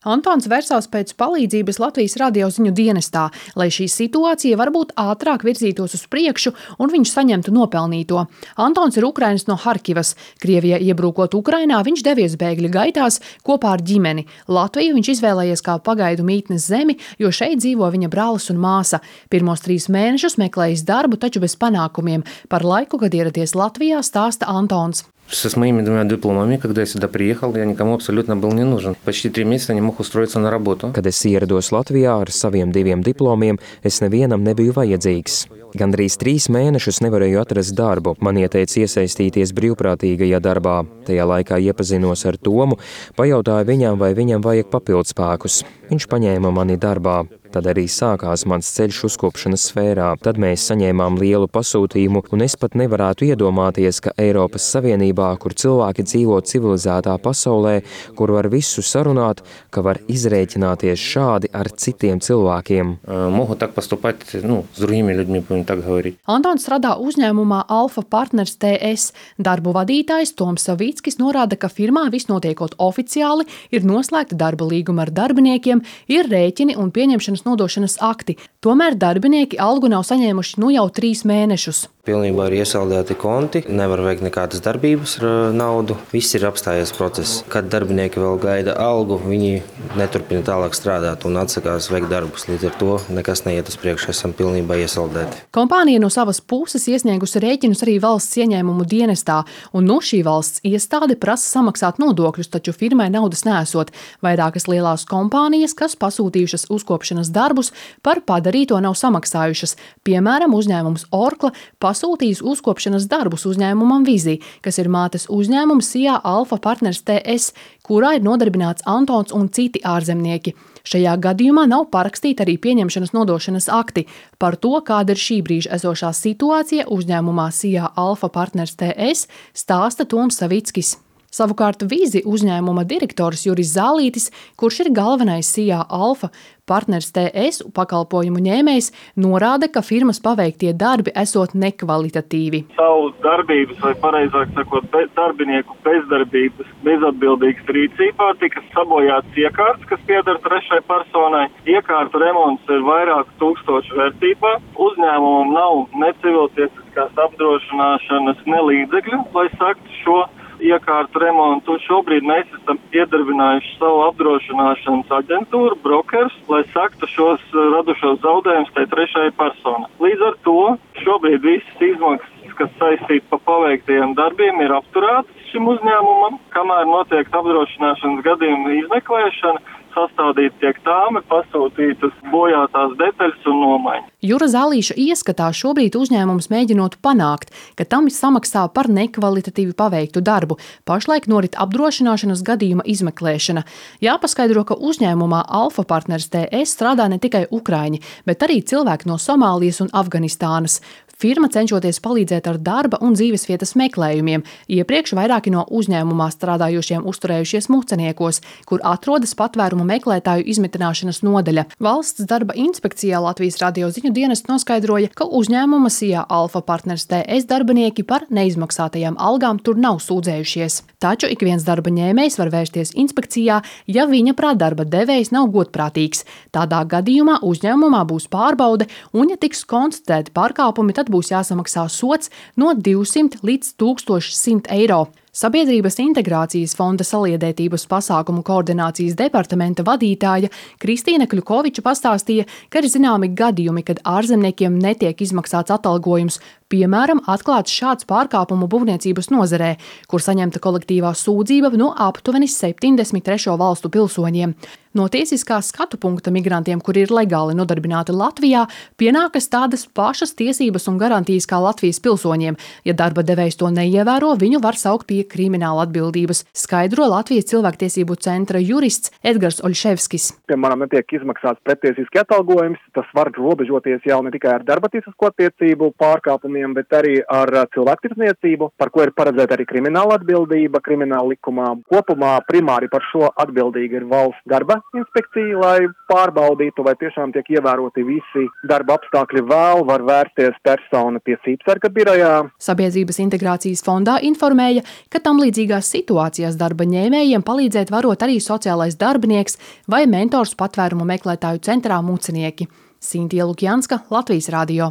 Antons versās pēc palīdzības Latvijas radioziņu dienestā, lai šī situācija varbūt ātrāk virzītos uz priekšu un viņš saņemtu nopelnīto. Antons ir Ukrainas no Harkivas. Krievijai iebrukot Ukrainā, viņš devies bēgļu gaitās kopā ar ģimeni. Latviju viņš izvēlējies kā pagaidu mītnes zemi, jo šeit dzīvo viņa brālis un māsa. Pirmos 3 mēnešus meklējis darbu, taču bez panākumiem. Par laiku, kad ieradies Latvijā, stāsta Antons. С моими 2 дипломами, когда я сюда приехал, я никому абсолютно был не нужен. Почти 3 месяца не мог устроиться на работу. Kad es ierados Latvijā ar saviem 2 diplomiem, es nevienam nebiju vajadzīgs. Gandrīz 3 mēnešus nevarēju atrast darbu. Man ieteica iesaistīties brīvprātīgajā darbā. Tajā laikā iepazinos ar Tomu, pajautāju viņam, vai viņam vajag papildspēkus. Viņš paņēma mani darbā. Tad arī sākās mans ceļš uzkopšanas sfērā. Tad mēs saņēmām lielu pasūtījumu, un es pat nevarētu iedomāties, ka Eiropas Savienībā, kur cilvēki dzīvo civilizētā pasaulē, kur var visu sarunāt, ka var izrēķināties šādi ar citiem cilvēkiem. Могут так поступать, с другими людьми, будем так говорить. Antons strādā uzņēmumā Alfa Partners TS. Darbu vadītājs Toms Savickis norāda, ka firmā viss notiekot oficiāli, ir noslēgta darba līguma ar darbiniekiem, ir rēķini un pieņemšanas nodošanas akti. Tomēr darbinieki algu nav saņēmuši jau 3 mēnešus. Pilnībā ir iesaldēti konti, nevar veikt nekādas darbības ar naudu. Viss ir apstājies process. Kad darbinieki vēl gaida algu, viņi neturpina tālāk strādāt un atsakās veikt darbus. Līdz ar to nekas neiet uz priekšu, esam pilnībā iesaldēti. Kompānija no savas puses iesniegusi rēķinus arī valsts ieņēmumu dienestā, un šī valsts iestāde prasa samaksāt nodokļus, taču firmai naudas nesot. Vairākas lielās kompānijas, kas pasūtījušas uzkopšanas darbus, par padarīto nav samaksājušas. Piemēram, uzņēmums Orkla pasūtījis uzkopšanas darbus uzņēmumam Vizī, kas ir mātes uzņēmums SIA Alfa Partners TS, kurā ir nodarbināts Antons un citi ārzemnieki. Šajā gadījumā nav parakstīti arī pieņemšanas nodošanas akti. Par to, kāda ir šī brīža esošā situācija uzņēmumā SIA Alfa Partners TS, stāsta Toms Savickis. Savukārt Vīzi uzņēmuma direktors Juris Zālītis, kurš ir galvenais SIA Alfa Partners TS pakalpojumu ņēmējs, norāda, ka firmas paveiktie darbi esot nekvalitatīvi. Savu darbības, vai pareizāk sakot, darbinieku bezdarbības, bezatbildīgas rīcībā tika sabojāts iekārts, kas pieder trešai personai. Iekārtu remonts ir vairāku tūkstošu vērtībā. Uzņēmumam nav ne civiltiesiskās apdrošināšanas, ne līdzekļu, lai saktu šo iekārtu remontu. Šobrīd mēs esam iedarbinājuši savu apdrošināšanas aģentūru, brokers, lai saktu šos radušos zaudējumus tai trešajai personai. Līdz ar to šobrīd visas izmaksas, kas saistīti pa paveiktajiem darbiem, ir apturētas šim uzņēmumam, kamēr notiek apdrošināšanas gadījuma izmeklēšana. Sastādīt tiek tāmi, pasūtītas bojātās detaļas un nomaiņas. Jura Zālīša ieskatā šobrīd uzņēmums mēģinot panākt, ka tam samaksā par nekvalitatīvi paveiktu darbu. Pašlaik norit apdrošināšanas gadījuma izmeklēšana. Jāpaskaidro, ka uzņēmumā Alfa Partners TS strādā ne tikai ukraiņi, bet arī cilvēki no Somālijas un Afganistānas. Firma cenšoties palīdzēt ar darba un dzīvesvietas meklējumiem. Iepriekš vairāki no uzņēmumā strādājušiem uzturējušies Muceniekos, kur atrodas patvērumu meklētāju izmitināšanas nodaļa. Valsts darba inspekcijā Latvijas radioziņu dienests noskaidroja, ka uzņēmuma SIA Alfa Partners TS darbinieki par neizmaksātajām algām tur nav sūdzējušies. Taču ik viens darba ņēmējs var vērsties inspekcijā, ja viņa prāt darba devējs nav godprātīgs. Tādā gadījumā uzņēmumā būs pārbaude, un ja tiks konstatēti pārkāpumi, tad būs jāsamaksā sods no 200 līdz 1100 eiro. Sabiedrības integrācijas fonda saliedētības pasākumu koordinācijas departamenta vadītāja Kristīna Kļukoviča pastāstīja, ka ir zināmi gadījumi, kad ārzemniekiem netiek izmaksāts atalgojums. Piemēram, atklāts šāds pārkāpumu būvniecības nozarē, kur saņemta kolektīvā sūdzība no aptuveni 73 valstu pilsoņiem. No tiesiskā skatu punkta migrantiem, kuri ir legāli nodarbināti Latvijā, pienākas tādas pašas tiesības un garantijas kā Latvijas pilsoņiem. Ja darba devējs to neievēro, viņu var saukt pie krimināla atbildības, skaidro Latvijas cilvēktiesību centra jurists Edgars Oļševskis. Piemēram, netiek izmaksāts pretiesiski atalgojums, tas var robežoties jau ne tikai ar darba tiesisko attiecību pārkāpumiem, pakalpojumiem, bet arī ar cilvēktirdzniecību, par ko ir paredzēta arī krimināla atbildība krimināla likumā. Kopumā primāri par šo atbildīga ir valsts darba inspekcija, lai pārbaudītu, vai tiešām tiek ievēroti visi darba apstākļi. Vēl var vērsties persona pie Sīpsarga birojā. Sabiedrības integrācijas fondā informēja, ka tam līdzīgās situācijās darba ņēmējiem palīdzēt varot arī sociālais darbinieks vai mentors patvērumu meklētāju centrā Mucenieki. Sintīja Lukjanska, Latvijas radio.